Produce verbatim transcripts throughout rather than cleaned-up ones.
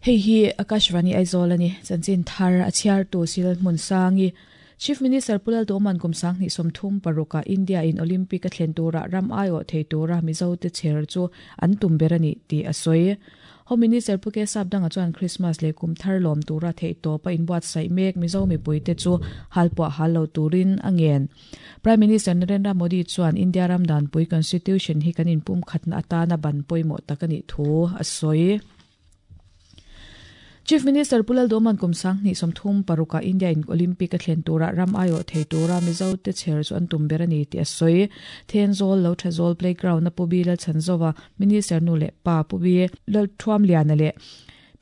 Hei hi Akashvani Aizawl ani chanchin thar a chhiar tu sil hmun sangi Chief Minister Pulal Doman kumsang ni somthum paruka India in Olympic a thlen tura ram aio thei tura Mizo te cher chu an tum berani ti asoi Home Minister Puke Sapdanga chuan Christmas le kum thar lom tura thei to pa in buat sai mek Mizo mi puite chu halpua hallo turin angen Prime Minister Narendra Modi chuan India ram dan pui constitution hi kanin pum khatna atana ban poimo takani thu asoi Chief Minister Pulal Doman kumsang ni somthum paruka India in Olympic a thlen tura ram aio thei tura Mizo te cher chu an tum berani ti asoi Thenzol lo Thazol playground na pubi lal chanzowa Minister nu le pa pubi lal thuam lian le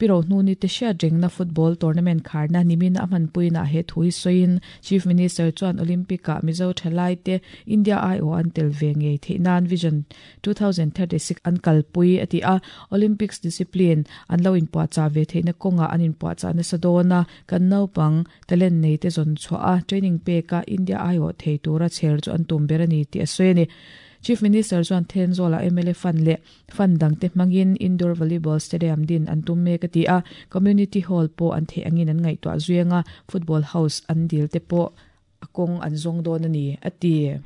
piro nu ni te sha jing na football tournament kharna nimin aman puina he thui soin Chief Minister chuan Olympic a Mizo thalai te India I O an tel ve nge theinan Vision twenty thirty-six an kalpui ati a Olympics discipline an lo in pa cha ve theina konga an in pa cha na sadona kan no pang talent nei te zon chwa a training pe ka India I O thei tura cher chu an tum berani ti asoini Chief Minister chuan Thenzola M L A fan le fan dang te mangin indoor volleyball stadium din an tum mek ati a community hall po an the angin an ngai to azuanga football house an dil te po akong an zong don ani ati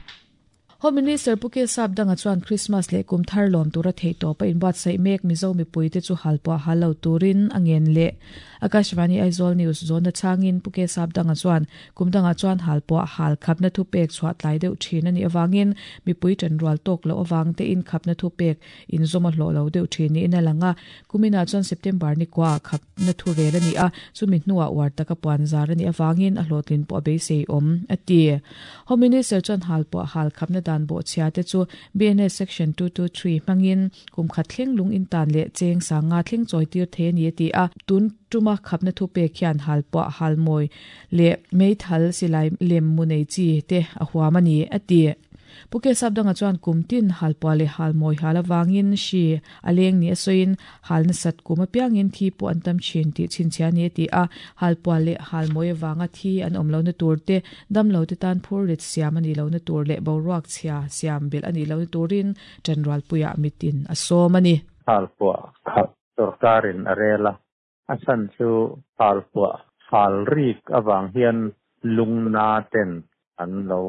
Home Minister Puke Sapdanga chuan Christmas le kum thar lom tura thei to pa in bat sai mek Mizo mi puite chu halpa halo turin angen le Akashvani Aizawl News zona changin Puke Sapdanga chuan kumdanga chuan halpa hal khapna thu pek chhuat tlai deuh thin ani awangin mi pui tan rual tok lo awang te in khapna thu pek in zoma hlo lo deuh thin ni ina langa kumina chuan September ni kwa khapna thu rel ani a chumi hnuah war taka puan zar ani awangin a hlotlin po be sei om ati Home Minister chuan halpa hal khapna dan bo chia te chu B N S section two two three mangin kum khat thleng lung in tan le cheng sanga thleng choi tir the ni ti a tun tuma khapna thu pe khian halpa halmoi le meithal silai lem munei chi te a huamani ati Puke Sapdanga chuan kumtin halpa le halmoi halawangin shi aleng ni asoin halna sat kuma piangin thi po antam chin ti chinchia ni ti a halpa le halmoi wanga thi an omlo na tur te damlo te tan phur rit siam ani lo na tur le boruak chhia siam bel ani lo na turin general puya mitin asomani halpa khap sarkarin arela asan chu halpa halrik awang hian lungna ten an lo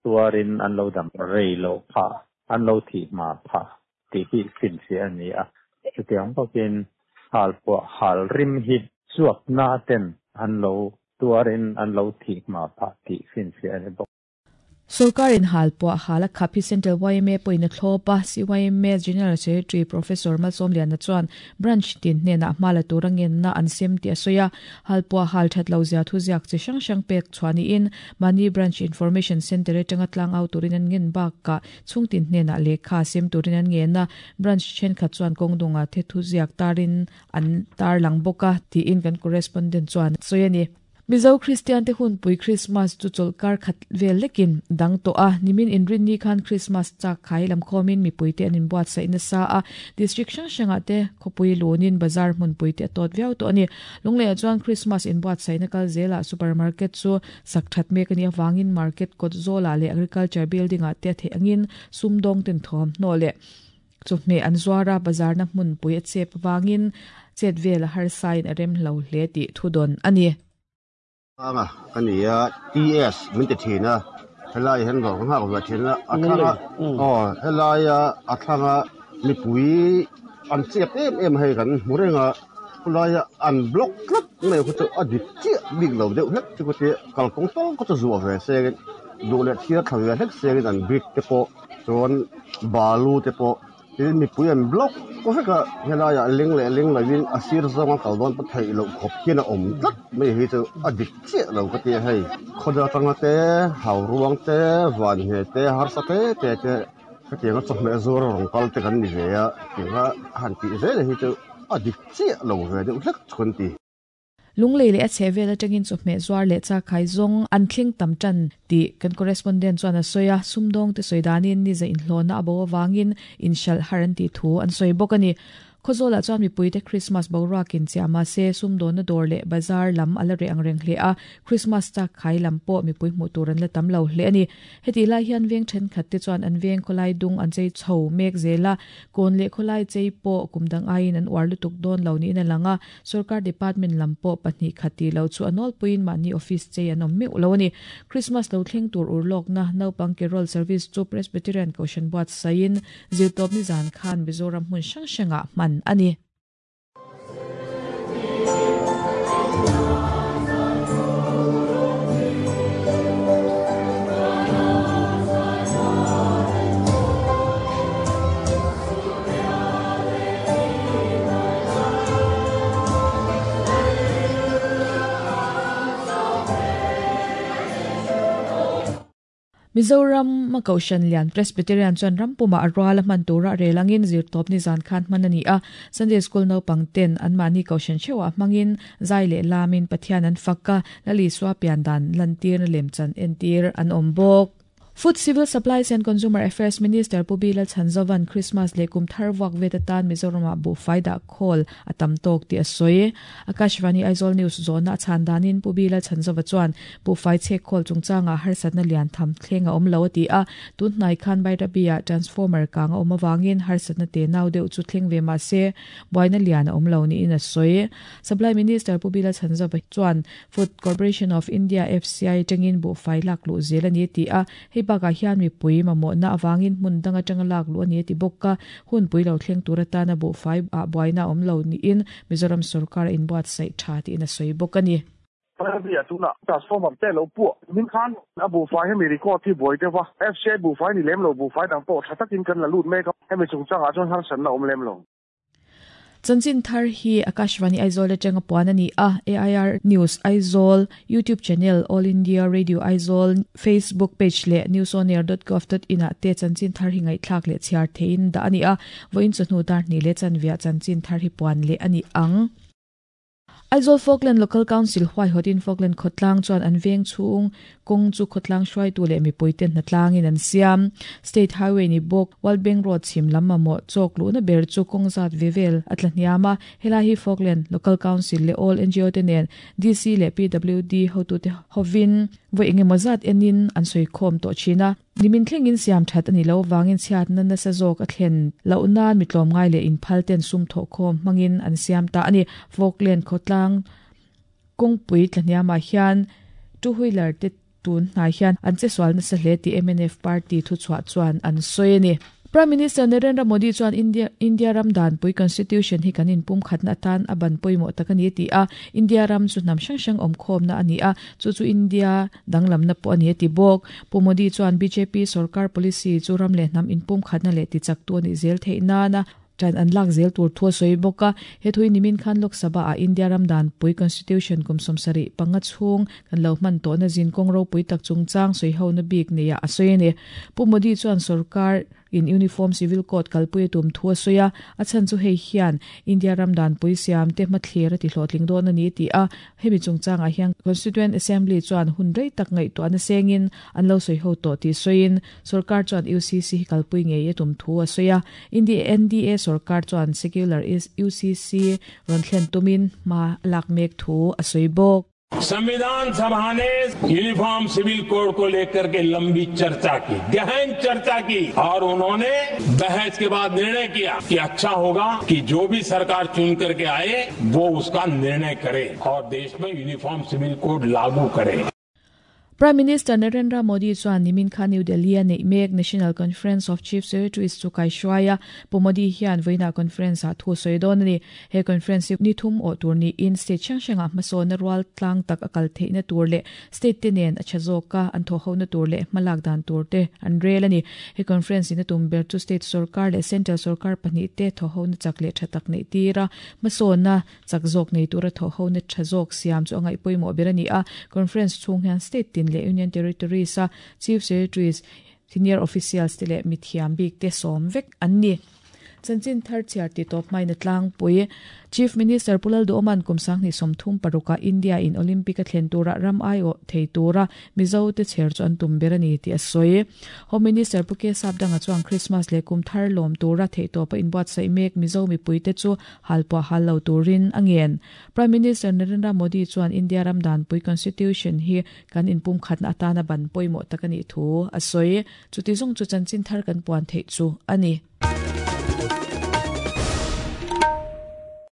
tuarin an lo dam rei lo pha an lo thi ma pha ti hi sin si ani a chutiang pakin hal po hal rim hi chuak na ten an lo tuarin an lo thi ma pha ti sin si ani bok Sarkarin halpo hala khapi Central Y M A poina thlopa C Y M A General Secretary Professor Malsom Liana chuan branch tin hne na mala turangen na ansem ti asoya halpo hal that lo zia thu ziak chi sang sang pek chuani in mani branch information center atanga tlang au turin an ngen bak ka chung tin hne na lekha sem turin an ngen na branch chen khat chuan kongdonga the thu ziak tarin an tar lang boka ti in kan correspondent chuan soyani Mizo Christian te hun pui Christmas chu cholkar khat vel lekin dang to a nimin inrin ni khan Christmas chak khai lam khomin mi pui te anin buat sa in sa a district sang sanga te khopui lonin bazar mun pui te tot viau to ani lungle chuan Christmas in buat sa in kal zela supermarket chu sakthat mek ani awangin market kot zola le agriculture building a te the angin sumdong ten thom no le chu me an zuara bazar na mun pui a chep wangin chet vel har sign arem lo hle ti thudon ani anga kania T S min te thina helai hen go ha go thina athanga oh helai athanga mi pui an chep em em hei kan murenga khulai an block tlat mai khu chu adik chi big lo deuh hlek chu ko te kalkong tol ko chu zuwa ve se du le thia thawe hlek se an big te po chuan balu te po tin mi pui an block ko veka helai a ling le ling lawin asir zonga kaldon pa thei lo khop hian a awm tlat mai hi chu a dik chiah lo ka ti hei khoda tanga te hau ruang te van he te harsa te te te ka tianga chawhmeh zuar rawng kal te kan ni ve a tinga han tih zel hi chu a dik chiah lo ve deuh hlek chun ti Lunglei le a chhevel atangin chawhmeh zuar le cha khai zong an thling tam tan ti kan correspondent chuan a soya sumdong te soidanin ni za in hlona abo wangin in shal haran ti thu an soi bok ani Khozola chuan mipui te Christmas boruakin chiama se sumdawn na dawr leh bazar lam ala re ang reng hle a Christmas tak khai lam pawh mipui hmuh tur an la tam lo hle ani. Heti lai hian veng thenkhat te chuan an veng khawlai dung an chei chho mek zela kawn leh khawlai chei pawh kumdang aiin an uar lutuk dawn lo niin a lang a sarkar department lam pawh pahnih khati lo chu anol puin mahni office chei an awm meuh lo ani. Christmas lo thleng tur urlawk na naupang carol service chu Presbyterian Koshan buat sain zirtawp ni zan khan Mizoram hmun hrang hranga hman ani. Mizoram ma Koshan Lian Presbyterian chuan rampuma arwala man tura relangin zirtawp ni zan khan manani a Sunday School no pangten an mani Koshan chewa mangin zai le lamin Pathian an fakka lali swa pian dan lantir lemchan entir an ombok. Food Civil Supplies and Consumer Affairs Minister Pu B Lalchhanzovan Christmas le kum thar wak vetatan Mizoram bu faida khol atam tok ti asoi. Akashvani Aizawl News zona chandanin Pu B Lalchhanzova chuan bu fai che khol chungchanga harsatna lian tham thlenga om lo ti a tun hnai khan Bairabia transformer kanga om awangin harsatna te nau deuh chu thleng ve ma se boina lian om lo ni in asoi. Supply Minister Pu B Lalchhanzova chuan Food Corporation of India F C I tangin bu fai lak lu zel ani ti a hei baka hian mi pui mamo na awangin hmun danga tanga lak lu ani ti bokka hun pui lo thleng tur atana bu fai a buaina om lo ni in Mizoram sarkar in buat sai tha ti in a soi bok ani. Bairabia tuna transformer te lo pu min khan a bu fai hemi record thi boi te wa F C I bu fai ni lem lo bu fai dang po thatakin kan la lut me ka hemi chungchanga chuan har san na om lem lo. Chanchin thar hi Akashvani Aizawl atanga puan ani a A I R News Aizawl YouTube channel All India Radio Aizawl Facebook page le newsonair dot gov dot in a te chanchin thar hi ngai thlak le chhiar thein da ani a voin chunu dar ni le chanvia chanchin thar hi puan le ani ang. Aizawl Falkland Local Council huai hotin Falkland khotlang chuan an veng chung kong chu khotlang hruai tu le mi poiten na tlangin an siam State Highway ni bok World Bank Road chim lamma mo chok lu na ber chu kong zat vevel atla hniama hela hi Falkland Local Council le all N G O te nen D C le P W D hotu te hovin voi engemaw zat enin an soi khom to china nimin thlengin siam that ani lo wangin chhiat na na sa zawk a thlen lo nan mitlawm ngai le in phal ten sum tho khom mangin an siam ta ani. Falkland khotlang kongpui tlaniama hian two wheeler te tun hnai hian an che swal na sa hle ti M N F party thu chhuah chuan an sawi ani. Prime Minister Narendra Modi chuan India India ram dan pui constitution hi kanin pum khatna tan aban poimo takani ti a India ram chu nam sang sang om khom na ani a chu chu India danglam na po ani ti bok. Pu Modi chuan B J P sarkar policy chu ram le nam in pum khatna le ti chak tu ani zel theina na tan an lak zel tur thua soi boka he thui nimin khan Lok Sabha a India ram dan pui constitution kum somsari panga chung kan lo man to na jin kong ro pui tak chung chang soi ho na bik ne ya asoi ne. Pu Modi chuan sarkar in uniform civil code kalpui tum thua soya achan chu hei hian India ram dan pui siam te mathler ti hlotling don ani ti a hemi chungchang a hian Constituent Assembly chuan hun rei tak ngai to an sengin an lo soi ho to ti soin sarkar chuan U C C kalpui nge ye tum thua soya India N D A sarkar chuan secular is U C C ron thlen tumin ma lak mek thu a soi bok. संविधान सभा ने uniform civil code को लेकर के लंबी चर्चा की, गहन चर्चा की और उन्होंने बहस के बाद निर्णय किया कि अच्छा होगा कि जो भी सरकार चुन करके आए वो उसका निर्णय करे और देश में uniform civil code लागू करे। Prime Minister Narendra Modi chuan nimin khan New Delhi a nei mek National Conference of Chief Secretaries chu kai hruaia Pu Modi hian voina conference a thu sawi dawn ani. He conference hi ni thum aw tur ni in state hrang hranga hmasawn na rual tlang tak akal theihna tur leh state te nen a tha zawka an thaw ho na tur leh hmalak dan tur te an rel ani. He conference in a tum ber chu state sarkar leh central sarkar pahnih te thaw ho na chak leh tha tak nei tira hmasawn na chak zawk nei tura thaw ho na tha zawk siam chu angai pawimawh ber ani a. Conference chhung hian state tin le Union Territories a Chief Secretaries, Senior Officials te le mithiam bik te som vek an ni. Chanchin thar chiar ti top mai na tlang pui Chief Minister Pulal do Oman kumsang ni somthum paruka India in Olympic a thlen tura ram ai o thei tura Mizo te cher chu an tum berani ti a soi Home Minister Puke Sapdanga chuang Christmas le kum thar lom tura thei to pa inbuat sai mek Mizo mi puite chu halpa hallo turin angen Prime Minister Narendra Modi chuan India ram dan pui constitution hi kan inpum khatna atana ban poimo takani thu a soi chuti zong chu chanchin thar kan puan thei chu ani.